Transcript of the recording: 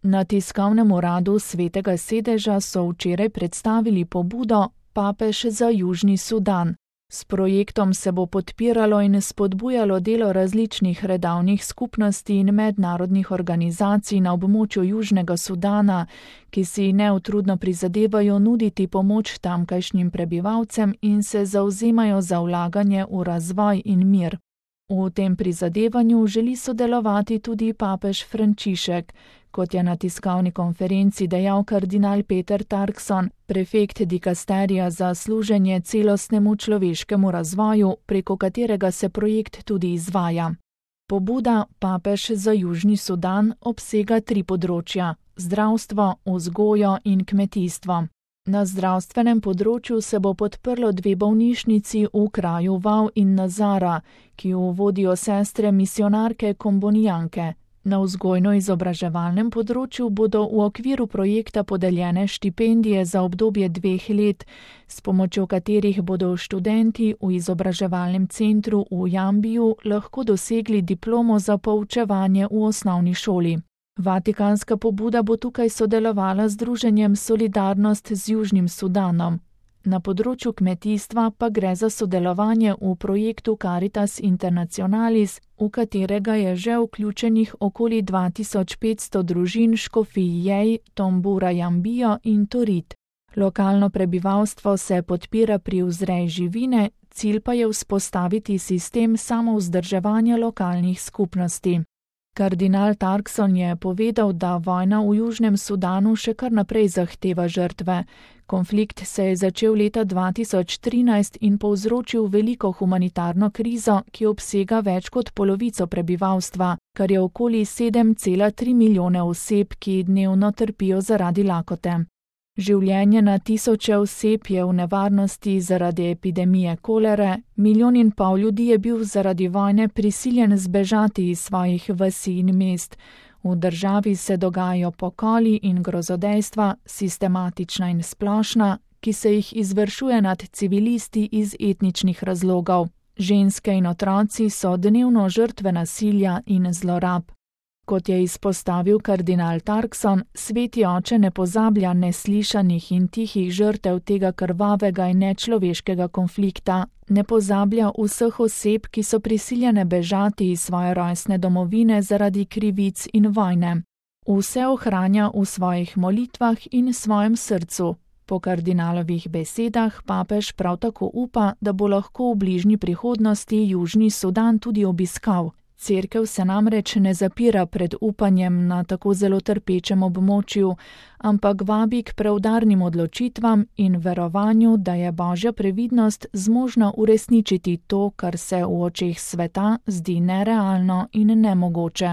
Na tiskovnem uradu Svetega sedeža so včeraj predstavili pobudo Papež za Južni Sudan. S projektom se bo podpiralo in spodbujalo delo različnih redavnih skupnosti in mednarodnih organizacij na območju Južnega Sudana, ki si neutrudno prizadevajo nuditi pomoč tamkajšnjim prebivalcem in se zavzemajo za vlaganje v razvoj in mir. V tem prizadevanju želi sodelovati tudi papež Frančišek, kot je na tiskovni konferenci dejal kardinal Peter Turkson, prefekt dikasterija za služenje celostnemu človeškemu razvoju, preko katerega se projekt tudi izvaja. Pobuda Papež za Južni Sudan obsega 3 področja: zdravstvo, vzgojo in kmetijstvo. Na zdravstvenem področju se bo podprlo 2 bolnišnici v kraju Vau in Nazara, ki jo vodijo sestre misionarke kombonijanke. Na vzgojno-izobraževalnem področju bodo v okviru projekta podeljene štipendije za obdobje 2 let, s pomočjo katerih bodo študenti v izobraževalnem centru v Jambiju lahko dosegli diplomo za poučevanje v osnovni šoli. Vatikanska pobuda bo tukaj sodelovala z Združenjem Solidarnost z Južnim Sudanom. Na področju kmetijstva pa gre za sodelovanje v projektu Caritas Internationalis, v katerega je že vključenih okoli 2500 družin škofij Jej, Tombura Jambijo in Torit. Lokalno prebivalstvo se podpira pri vzreji živine, cilj pa je vzpostaviti sistem samovzdrževanja lokalnih skupnosti. Kardinal Turkson je povedal, da vojna v Južnem Sudanu še kar naprej zahteva žrtve. Konflikt se je začel leta 2013 in povzročil veliko humanitarno krizo, ki obsega več kot polovico prebivalstva, kar je okoli 7,3 milijone oseb, ki dnevno trpijo zaradi lakote. Življenje na tisoče oseb je v nevarnosti zaradi epidemije kolere, 1,5 milijona ljudi je bil zaradi vojne prisiljen zbežati iz svojih vasi in mest. V državi se dogajajo pokoli in grozodejstva, sistematična in splošna, ki se jih izvršuje nad civilisti iz etničnih razlogov. Ženske in otroci so dnevno žrtve nasilja in zlorab. Kot je izpostavil kardinal Turkson, Sveti oče ne pozablja neslišanih in tihih žrtev tega krvavega in nečloveškega konflikta, ne pozablja vseh oseb, ki so prisiljene bežati iz svoje rojstne domovine zaradi krivic in vojne. Vse ohranja v svojih molitvah in svojem srcu. Po kardinalovih besedah papež prav tako upa, da bo lahko v bližnji prihodnosti Južni Sudan tudi obiskal. Cerkev se namreč ne zapira pred upanjem na tako zelo trpečem območju, ampak vabi k preudarnim odločitvam in verovanju, da je Božja previdnost zmožna uresničiti to, kar se v očeh sveta zdi nerealno in nemogoče.